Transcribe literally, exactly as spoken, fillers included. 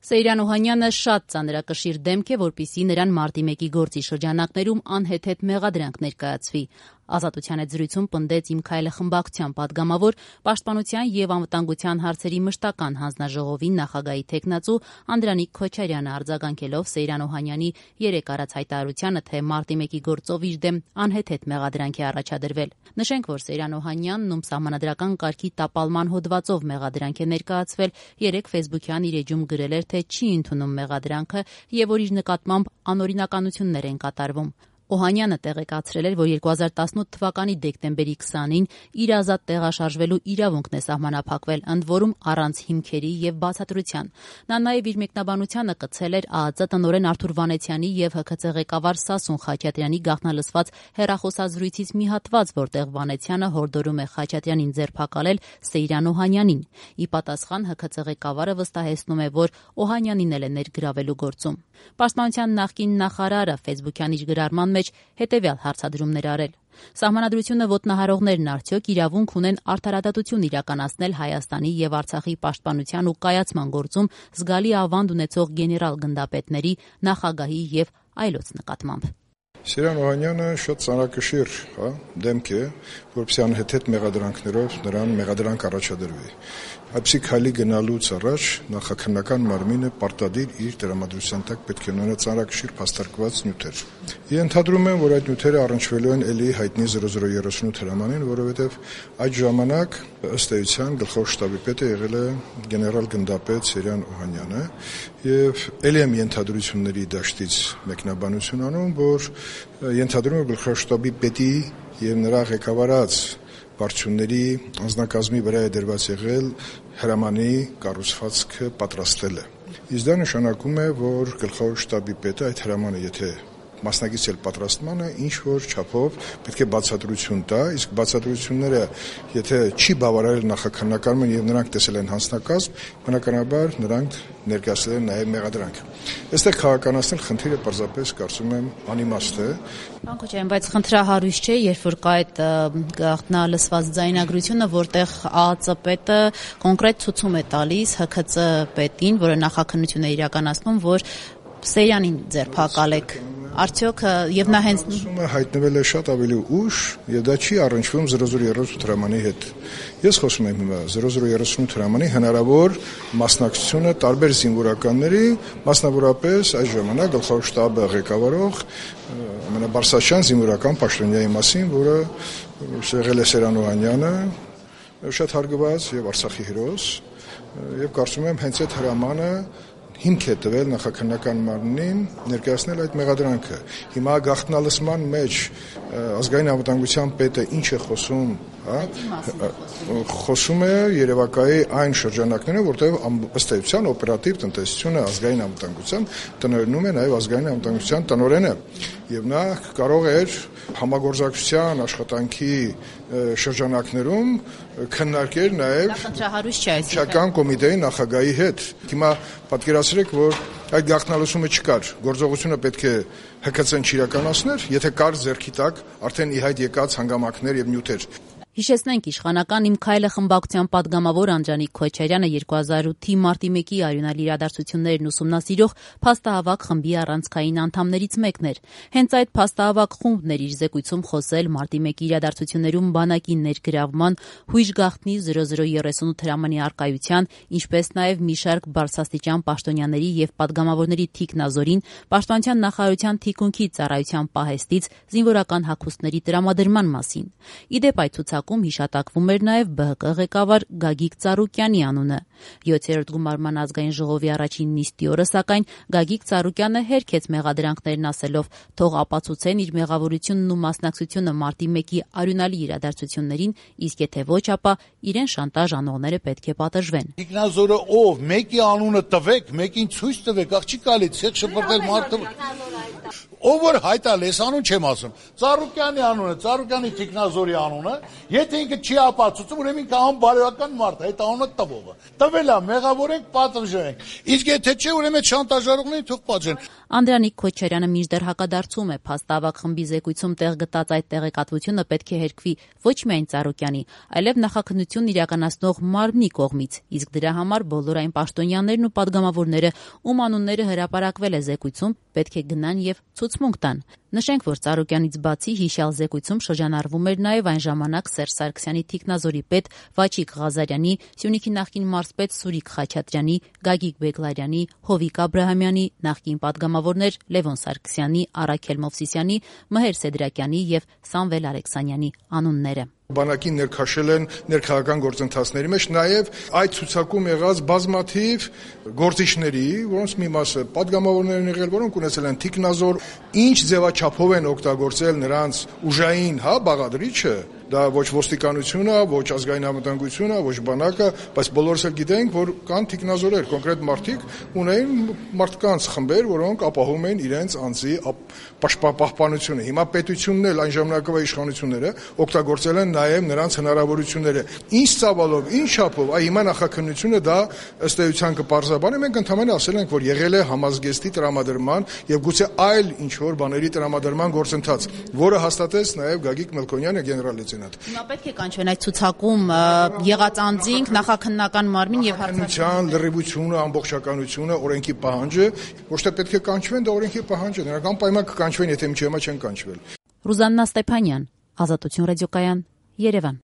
Սեյրան Օհանյանը շատ ծանրակշիռ դեմք է, որպեսզի նրան մարտի մեկի գործի շրջանակներում անհեթեթ մեղադրանք ներկայացվի։ Ազատության հետ զրույցում պնդեց «Իմ քայլը» խմբակցության падգամավոր, Պաշտպանության և անվտանգության հարցերի մշտական հանձնաժողովի նախագահի թեկնածու Անդրանիկ Քոչարյանը, արձագանքելով Սեյրան Օհանյանի երեկ արած հայտարարությանը, թե մարտի մեկի գործով իր դեմ անհեթեթ մեղադրանք է առաջադրվել։ Նշենք, որ Սեյրան Օհանյանն, ում սահմանադրական կարգի տապալման հոդվածով մեղադրանք է ներկայացվել, երեկ ֆեյսբուքյան իր էջում գրել էր, թե չի ընդունում մեղադրանքը և որ իր նկատմամբ անօրինականություններ են կատարվում։ Օհանյանը տեղեկացրել էր, որ երկու հազար տասնութ թվականի դեկտեմբերի քսանին իր ազատ տեղաշարժվելու իրավունքն է սահմանափակվել, ընդ որում առանց հիմքերի և բացատրության։ Նա նաև իր մեկնաբանությանը կցել էր ԱԱԾ տնօրեն Արթուր Վանեցյանի և ՀՔԾ ղեկավար Սասուն Խաչատրյանի գաղտնալսված հեռախոսազրույցից մի հատված, որտեղ Վանեցյանը հորդորում է Խաչատրյանին ձերբակալել Սեյրան Օհանյանին։ Ի պատասխան ՀՔԾ ղեկավարը վստահեցնում է, որ Օհանյանին էլ է ներգրավելու գործում։ Պաշտպանության նախկին նախարարը ֆեյսբուքյան իր գրառման մեջ հետևյալ հարցադրումներ արել. Սահմանադրությունը ոտնահարողներն արդյոք իրավունք ունեն արդարադատություն իրականացնել Հայաստանի և Արցախի պաշտպանության ու կայացման գործում զգալի ավանդ ունեցող գեներալ գնդապետների, նախագահի և այլոց նկատմամբ։ Սեյրան Օհանյանը շատ ծանրակշիռ դեմք է, որպեսզի անհեթեթ մեղադրանքներով նրան մեղադրանք առաջադրվի։ Այդպիսի քայլի գնալուց առաջ նախաքննական մարմինը պարտադիր իր տրամադրության տակ պետք է ունենա ծանրակշիռ փաստարկված նյութեր։ Ենթադրում եմ, որ այդ նյութերը առնչվելու են էլի հայտնի զրո զրո երեսունութ հրամանին, որովհետև այդ ժամանակ ըստ էության գլխավոր շտաբի պետը եղել է գեներալ գնդապետ Սեյրան Օհանյանը եւ ելի եմ ենթադրությունների դաշտից մեկնաբանություն անում, որ ենթադրում է գլխավոր շտաբի պետի եւ նրա ղեկավարած վարչությունների անձնակազմի վրա է դրված եղել հրամանի կառուցվածքը պատրաստելը։ Իսկ դա նշանակում է, որ գլխավոր շտաբի պետը այդ հրամանը, եթե մասնակիցել պատրաստմանը, ինչ որ չափով պետք է բացատրություն տա, իսկ բացատրությունները, եթե չի բավարարել նախաքննական եւ նրանք տեսել են հանձնակազմ, բնականաբար նրանք ներկայացրել են նաեւ մեղադրանք։ Այստեղ քաղաքականացնել խնդիրը պարզապես կարծում եմ անիմաստ է։ Պարոն Քոչարյան, բայց խնդրահարույց չէ, երբ որ կա այդ գաղտնալսված ձայնագրությունը, որտեղ ԱԱԾ պետը կոնկրետ ցուցում է տալիս ՀՔԾ պետին, որը նախաքննություն է իրականացնում, որ Սեյրանին ձերբակալեք։ Արդյոք եւ նա հենց ուսումը հայտնվել է շատ ավելի ուշ եւ դա չի առնչվում զրո զրո երեսունութ հրամանի հետ։ Ես խոսում եմ հիմա զրո զրո երեսունութ հրամանի հնարավոր մասնակցությունը տարբեր զինվորականների, մասնավորապես այս ժամանակ գլխավոր շտաբը ղեկավարող ամենաբարձրաստիճան զինվորական պաշտոնյայի մասին, որը եղել է Սեյրան Օհանյանը, շատ հարգված եւ Արցախի հերոս, եւ կարծում եմ հենց այդ հրամանը հիմք է տվել նախաքննական մարմնին ներկայացնել այդ մեղադրանքը։ Հիմա գաղտնալսման մեջ ազգային անվտանգության պետը ինչ է խոսում, հա, խոսում է երևակայի այն շրջանակներում, որտեղ ըստ էության օպերատիվ տնտեսությունը ազգային անվտանգության տնօրենում է նաև ազգային անվտանգության տնօրենը, եւ նա կարող էր համագործակցության աշխատանքի շրջանակներում քննարկել նաև Շրջական կոմիտեի նախագահի հետ։ Հիմա պատկերացրեք, որ այդ գաղտնալսումը չկար, գործողությունը պետք է ՀՔԾ-ն չիրականացներ, եթե կար ձեռքի տակ արդեն ի հայտ եկած հանգամանքներ եւ նյութեր։ Հիշեցնենք, իշխանական «Իմ քայլը» խմբակցության падգամավոր Անդրանիկ Քոչարյանը երկու հազար ութի մարտի մեկի արյունալի իրադարձություններն ուսումնասիրող փաստահավաք խմբի առանցքային անդամներից մեկն էր։ Հենց այդ փաստահավաք խումբն էր իր զեկույցում խոսել մարտի մեկի իրադարձություններում բանակի ներգրավման, հույժ գաղտնի զրո զրո երեսունութ հրամանի առկայության, ինչպես նաև մի շարք բարձրաստիճան պաշտոնյաների եւ падգամավորների թիկնազորին, Պաշտպանության նախարարության թիկունքի ծառայության պահեստից զինվորական հագուստների տրամադրման մասին։ Ի դեպ, այդ ցուցակում հիշատակվում էր նաև ԲՀԿ ղեկավար Գագիկ Ծառուկյանի անունը։ յոթերորդ գումարման ազգային ժողովի առաջին նիստի օրը, սակայն, Գագիկ Ծառուկյանը հերքեց մեղադրանքներն, ասելով, թող ապացուցեն իր մեղավորությունն ու մասնակցությունը մարտի մեկի արյունալի իրադարձություններին, իսկ եթե ոչ, ապա իրեն շանտաժ անողները պետք է պատժվեն։ Ինքնազորը ով, մեկի անունը տվեք, մեկին ցույց տվեք, աղջի կարելի, ցեխ շփրտել մարդը։ ով որ հայտալես անուն չեմ ասում, Ծառուկյանի անունը, Ծառուկյանի Տիկնազորի անունը, եթե ինքը չի ապացուցում, ուրեմն ինքը անբարոյական մարդ է, այդ անունը տվողը։ Տվել է, մեղավորենք, պատժենք։ Իսկ եթե չէ, ուրեմն շանտաժարողներին թող պատժեն։ Անդրանիկ Քոչարյանը մինչդեռ հակադարձում է փաստավակ խմբի զեկույցում տեղ գտած այդ տեղեկատվությունը պետք է հերկվի ոչ միայն Ծառուկյանի, այլև նախաքննությունն իրականացնող մարմնի կողմից, իսկ դրա համար բոլոր այն պաշտոնյաներն ու падգամավորները, ում անունները հրապարակվել է զեկույցում, պետք է գնան եւ ցուցմունք տան։ Նշենք, որ Ծառուկյանից բացի հիշյալ զեկույցում շրջանառվում էր նաև այն ժամանակ Սերժ Սարգսյանի թիկնազորի պետ Վաչիկ Ղազարյանի, Սյունիքի նախկին մարզպետ Սուրիկ Խաչատրյանի, Գագիկ Բեգլարյանի, Հովիկ Աբրահամյանի, նախկին падգամավորներ Լևոն Սարգսյանի, Առաքել Մովսիսյանի, Մհեր Սեդրակյանի եւ Սամվել Ալեքսանյանի անունները։ Բանակին ներքաշել են ներքաղաքական գործընթացների մեջ նաև այդ ցուցակում եղած բազմաթիվ գործիչների, որոնց մի մասը падգամավորներ են եղել, որոնք ունեցել են թիկնազոր, ինչ ձևաչափով են օգտագործել նրանց ուժային, հա, բաղադրիչը, դա ոչ ոստիկանությունը, ոչ ազգային անվտանգությունը, ոչ բանակը, բայց բոլորս էլ գիտենք, որ կան թիկնազորեր, կոնկրետ մարդիկ ունեին մարդկանց խմբեր, որոնք ապահովում էին իրենց անձի պաշտպանությունը։ Հիմա պետությունն էլ այն ժամանակվա իշխանությունները օգտագործել են նաև նրանց հնարավորությունները։ Ինչ ծավալով, ինչ չափով, այ հիմա նախաքննությունը դա ըստ էության կպարզաբանի, մենք ընդհանրապես ասել ենք, որ եղել է համազգեստի տրամադրման եւ գուցե այլ ինչ որ բաների տրամադրման գործընթաց, որը հաստատեց նաև Գագիկ Մելքոնյանը, գեներալ-լեյտենանտ։ Հիմա պետք է կանչվեն այդ ցուցակում եղած անձինք, նախաքննական մարմին եւ հարցակցության լրիվությունը, ամբողջականությունը, օրենքի պահանջը, ոչ թե պետք է կանչվեն, դա օրենքի պահանջ է, նրանք անպայման կկանչվեն, եթե միջի հիմա չեն կանչվել։ Ռուզաննա Ստեփանյան, Ազատություն ռադիոկայան, Երևան։